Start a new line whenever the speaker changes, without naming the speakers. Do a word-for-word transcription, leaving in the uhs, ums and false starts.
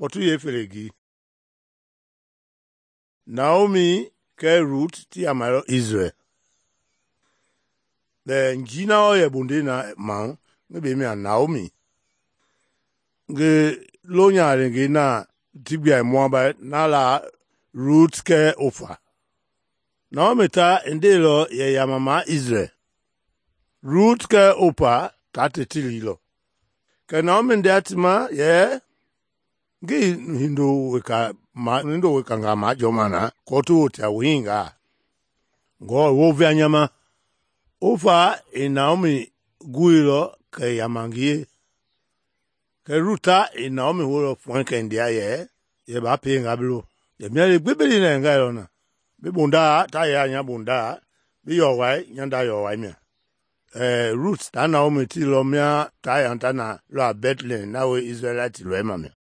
kpɔtu yeefele gii. Naomi kɛɛ Rut ti yamailɔ Israel. Bɛ njii na wɔɔ yɛ bondei na ma ngi bei mia Naomi. Ngi lonyahangei na ti gbia Moabite na la Rut kɛɛ Opa. Naomi ta i ndeilɔ yɛ yamama Israel. Rut kɛɛ Opa ta ti ti liilɔ. Kɛ Naomi ndea ti ma yɛ ngii hindo weka ma hindo wekangaa majɔɔma na kɔɔ ti wotea wu hingaa. Ngɔɔ i wounvea nya ma. Opa i Naomi guilɔ kɛ i yama ngi ye. Kɛ Rut ta i Naomi houlɔ fuɛnkɛndea yɛ yɛ baa pienga bi lo. Yɛ mia le gbi bi li na yɛ ngailɔ na. Bi bondaa ta yɛ a nya bondaa, bi yɔwɔi nya nda yɔwɔi mia. Ɛɛ Rut ta Naomi tiilɔ mia ta yɛ ta na lɔ a Bethlehem na wee Israelite lɔɛma mia.